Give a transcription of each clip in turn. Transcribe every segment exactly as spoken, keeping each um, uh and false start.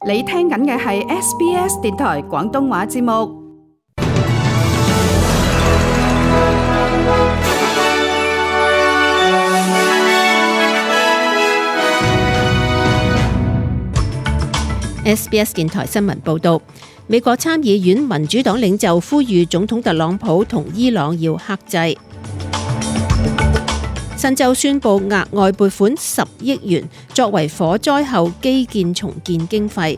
你聽緊嘅係 S B S 電台廣東話節目。S B S 電台新聞報道，美國參議院民主黨領袖呼籲總統特朗普同伊朗要克制。新州宣布額外撥款十億元，作為火災後基建重建經費。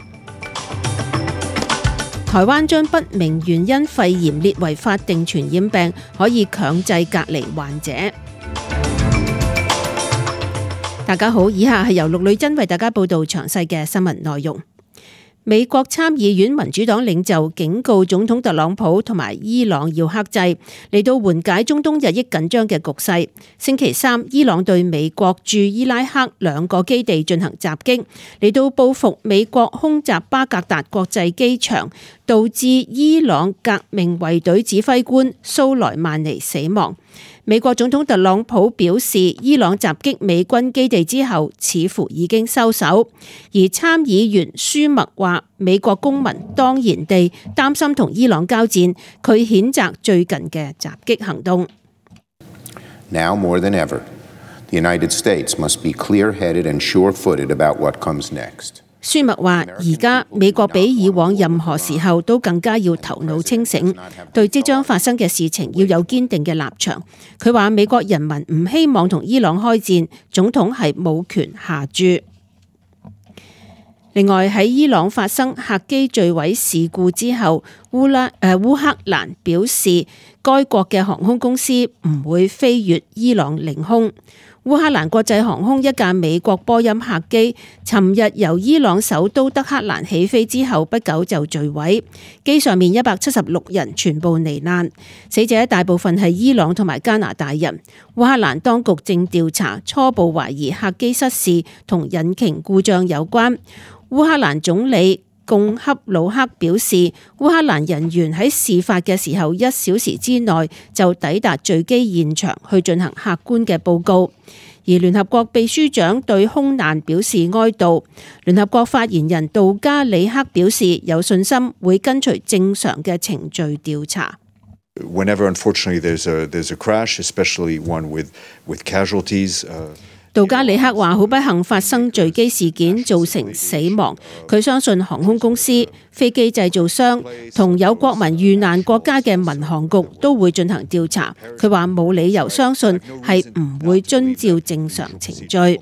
台灣將不明原因肺炎列為法定傳染病，可以強制隔離患者。大家好，以下係由陸女珍為大家報道詳細嘅新聞內容。美國參議院民主黨領袖警告總統特朗普同埋伊朗要克制，嚟到緩解中東日益緊張嘅局勢。星期三，伊朗對美國駐伊拉克兩個基地進行襲擊，嚟到報復美國空襲巴格達國際機場，導致伊朗革命衛隊指揮官蘇萊曼尼死亡。美國總統特朗普表示，伊朗襲擊美軍基地之後，似乎已經收手。而參議員舒默話，美國公民當然地擔心同伊朗交戰，佢譴責最近嘅襲擊行動。Now more than ever, the United States must be clear-headed and sure-footed about what comes next. 舒默話：而家美國比以往任何時候都更加要頭腦清醒，對即將發生嘅事情要有堅定嘅立場。佢話美國人民唔希望同伊朗開戰，總統係冇權下注。另外喺伊朗發生客機墜毀事故之後，烏拉誒、呃、烏克蘭表示該國嘅航空公司唔會飛越伊朗領空。烏克蘭國際航空一架美國波音客機，尋日由伊朗首都德黑蘭起飛之後不久就墜毀，機上面一百七十六人全部罹難，死者大部分係伊朗同埋加拿大人。烏克蘭當局正調查，初步懷疑客機失事同引擎故障有關。烏克蘭總理貢恰魯克表示，烏克蘭人員喺事發嘅時候一小時之內就抵達墜機現場去進行客觀嘅報告。而聯合國秘書長對空難表示哀悼。聯合國發言人杜加里克表示有信心會跟隨正常嘅程序調查。Whenever unfortunately there's a there's a crash, especially one with with casualties. 杜加里克話：好不幸發生墜機事件，造成死亡。佢相信航空公司、飛機製造商同有國民遇難國家嘅民航局都會進行調查。佢話冇理由相信係唔會遵照正常程序。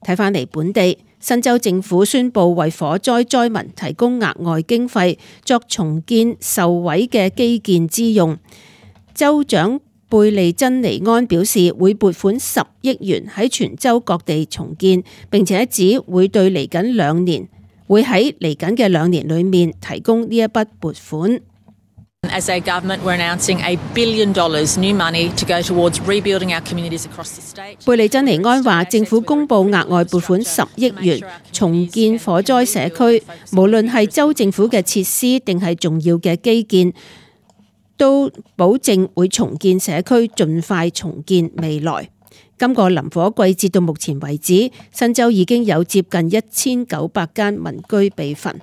睇返嚟本地，新州政府宣布為火災災民提供額外經費，作重建受毀嘅基建之用。州長貝利珍尼安表示會撥款十億元喺全州各地重建，並且指會對嚟緊兩年會喺嚟緊嘅兩年裏面提供呢一筆撥款。As a government, we're announcing a billion dollars new money to go towards rebuilding our communities across the state. 貝利珍尼安話，政府公布額外撥款十億元重建火災社區，無論係州政府嘅設施定係重要嘅基建，都保證會重建社區，盡快重建未來。今個林火季節到目前為止，新州已經有接近一千九百間民居被焚。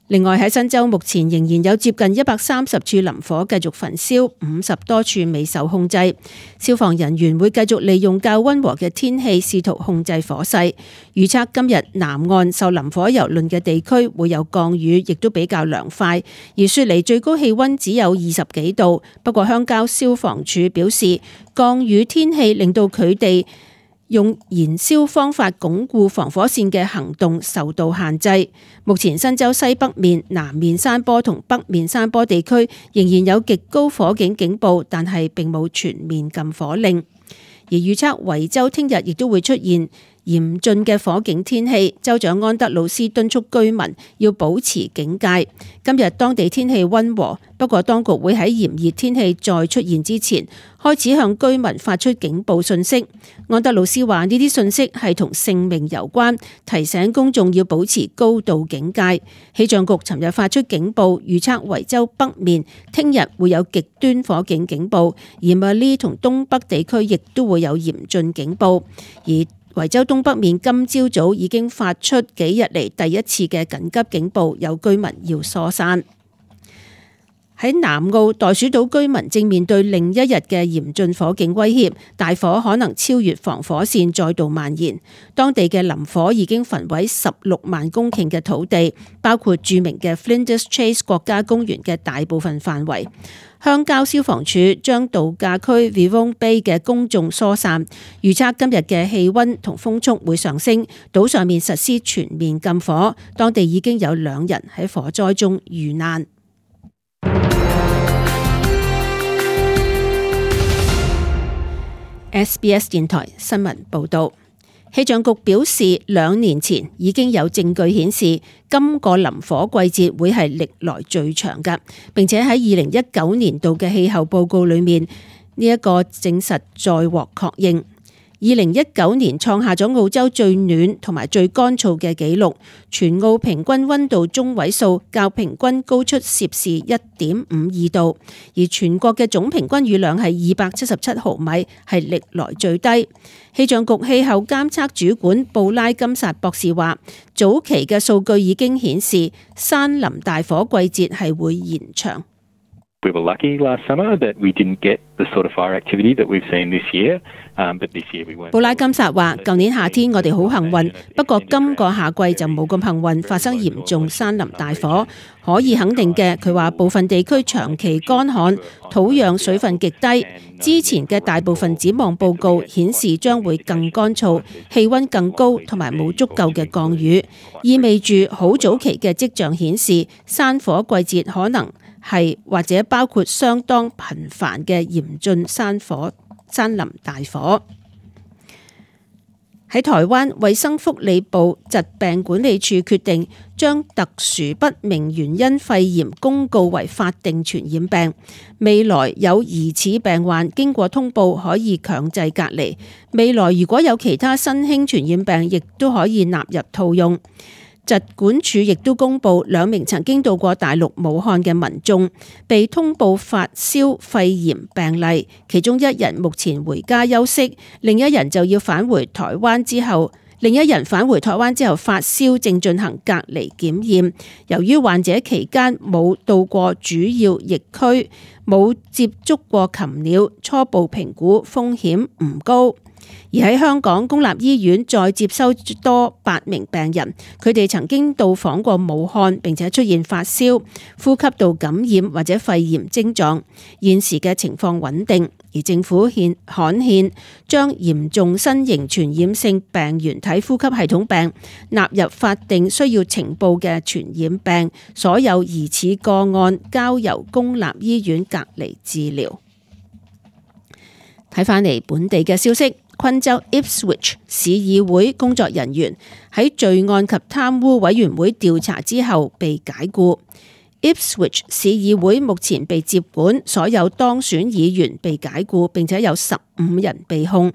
另外喺新州目前仍然有接近一百三十處林火繼續焚燒，五十多處未受控制。消防人員會繼續利用較溫和嘅天氣試圖控制火勢。預測今日南岸受林火蹂躪嘅地區會有降雨，亦都比較涼快。而雪梨最高氣溫只有二十幾度，不過鄉郊消防處表示，降雨天氣令到佢哋用燃燒方法鞏固防火線嘅行動受到限制。目前新州西北面、南面山坡同北面山坡地區仍然有極高火警警報，但係並冇全面禁火令。而預測維州聽日亦都會出現嚴峻嘅火警天氣，州長安德魯斯敦促居民要保持警戒。今日當地天氣溫和，不過當局會喺炎熱天氣再出現之前，開始向居民發出警報信息。安德魯斯話呢啲信息係同性命有關，提醒公眾要保持高度警戒。氣象局尋日發出警報，預測維州北面聽日會有極端火警警報，而馬里同東北地區亦都會有嚴峻警報。而維州東北面今朝早已經發出幾日嚟第一次嘅緊急警報，有居民要疏散。喺南澳袋鼠島居民正面對另一日嘅嚴峻火警威脅，大火可能超越防火線再度蔓延。當地嘅林火已經焚毀十六萬公頃嘅土地，包括著名嘅 Flinders Chase 國家公園嘅大部分範圍。鄉郊消防處將度假區 Vivong Bay 嘅公眾疏散，預測今日嘅氣溫同風速會上升，島上面實施全面禁火。當地已經有兩人喺火災中遇難。S B S 電台新聞報道，氣象局表示，兩年前已經有證據顯示今個林火季節會係歷來最長㗎，並且喺二零一九年度嘅氣候報告裏面，呢一個證實再獲確認。二零一九年創下咗澳洲最暖同埋最乾燥嘅紀錄，全澳平均溫度中位數較平均高出攝氏一點五二度，而全國嘅總平均雨量係二百七十七毫米，係歷來最低。氣象局氣候監測主管布拉金薩博士話，早期嘅數據已經顯示山林大火季節係會延長。We were lucky last summer that we didn't get the sort of fire activity that we've seen this year, um, but this year we weren't. 布拉金薩話：舊年夏天我哋好幸運，不過今個夏季就冇咁幸運，發生嚴重山林大火。可以肯定嘅，佢話部分地區長期乾旱，土壤水分極低。之前嘅大部分展望報告顯示將會更乾燥，氣溫更高，同埋冇足夠嘅降雨，意味住好早期嘅跡象顯示山火季節可能係或者包括相當頻繁嘅嚴峻山火、山林大火。喺台灣，衛生福利部疾病管理處決定將特殊不明原因肺炎公告為法定傳染病。未來有疑似病患經過通報可以強制隔離。未來如果有其他新興傳染病，亦都可以納入套用。疾管署亦都公布兩名曾經到過大陸武漢嘅民眾被通報發燒肺炎病例，其中一人目前回家休息，另一人就要返回台灣之後，另一人返回台灣之後發燒，正進行隔離檢驗。由於患者期間冇到過主要疫區，冇接觸過禽鳥，初步評估風險唔高。而喺香港公立醫院再接收多八名病人，佢哋曾經到訪過武漢，並且出現發燒、呼吸道感染或者肺炎症狀，現時嘅情況穩定。而政府憲刊憲將嚴重新型傳染性病原體呼吸系統病納入法定需要呈報嘅傳染病，所有疑似個案交由公立醫院隔離治療。睇返嚟本地嘅消息。昆州 Ipswich 市議會工作人員喺罪案及貪污委員會調查之後被解雇。Ipswich 市議會目前被接管，所有當選議員被解雇，並且有十五人被控。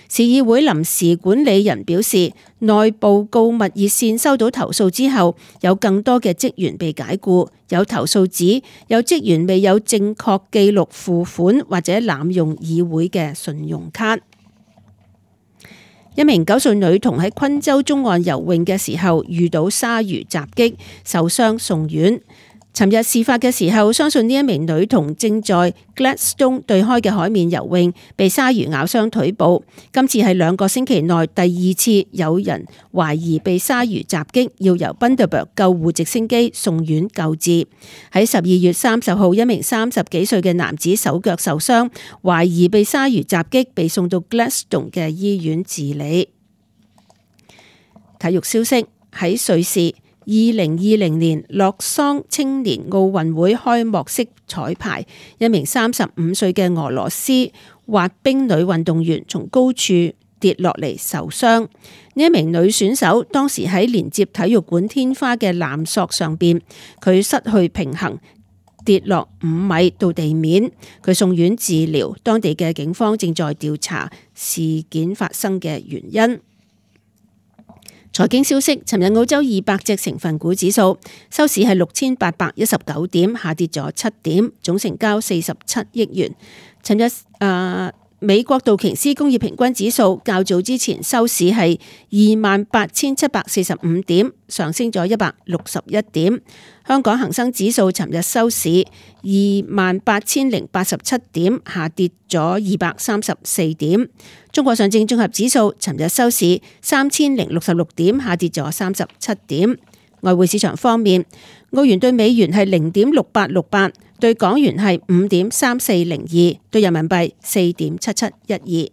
市議會臨時管理人表示，內部告密熱線收到投訴之後，有更多嘅職員被解雇。有投訴指有職員未有正確記錄付款或者濫用議會嘅信用卡。一名九歲女童喺昆州中岸游泳嘅時候遇到鯊魚襲擊，受傷送院。尋日事發嘅時候，相信呢一名女童正在 Gladstone 對開嘅海面游泳，被鯊魚咬傷腿部。今次係兩個星期內第二次有人懷疑被鯊魚襲擊，要由 Bundaberg 救護直升機送院救治。喺十二月三十號，一名三十幾歲嘅男子手腳受傷，懷疑被鯊魚襲擊，被送到 Gladstone 嘅醫院治理。體育消息，喺瑞士。二零二零年洛桑青年奧運會開幕式彩排，一名三十五歲嘅俄羅斯滑冰女運動員從高處跌落嚟受傷。呢一名女選手當時喺連接體育館天花嘅纜索上邊，佢失去平衡，跌落五米到地面，佢送院治療。當地嘅警方正在調查事件發生嘅原因。財經消息，尋日澳洲二百隻成分股指數收市係六千八百一十九點，下跌咗七點，總成交四十七億元。尋日誒美國道瓊斯工業平均指數較早之前收市係二萬八千七百四十五點，上升咗一百六十一點。香港恒生指數尋日收市二萬八千零八十七點，下跌咗二百三十四點。中國上證綜合指數尋日收市三千零六十六點，下跌咗三十七點。外匯市場方面，澳元對美元係零點六八六八，對港元係五點三四零二，對人民幣四點七七一二。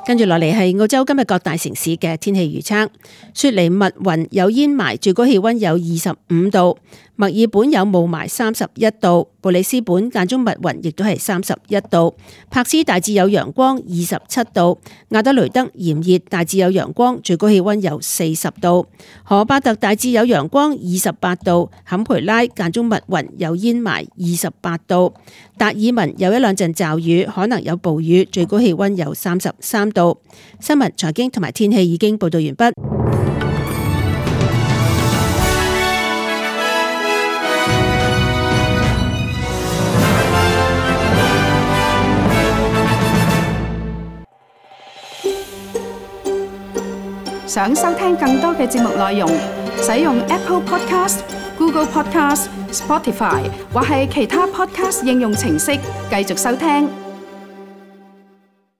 跟住落嚟係澳洲今日各大城市嘅天氣預測。雪梨密雲有煙霾，最高氣溫有二十五度；墨爾本有霧霾，三十一度；布里斯本間中密雲，亦都係三十一度；柏斯大致有陽光，二十七度；亞德雷德炎熱，大致有陽光，最高氣溫有四十度；荷巴特大致有陽光，二十八度；坎培拉間中密雲有煙霾，二十八度；達爾文有一兩陣驟雨，可能有暴雨，最高氣溫有三十三度。新聞、財經同埋天氣已經報道完畢。想收聽更多嘅節目內容，使用 Apple Podcast、Google Podcast、Spotify 或係其他 Podcast 應用程式繼續收聽。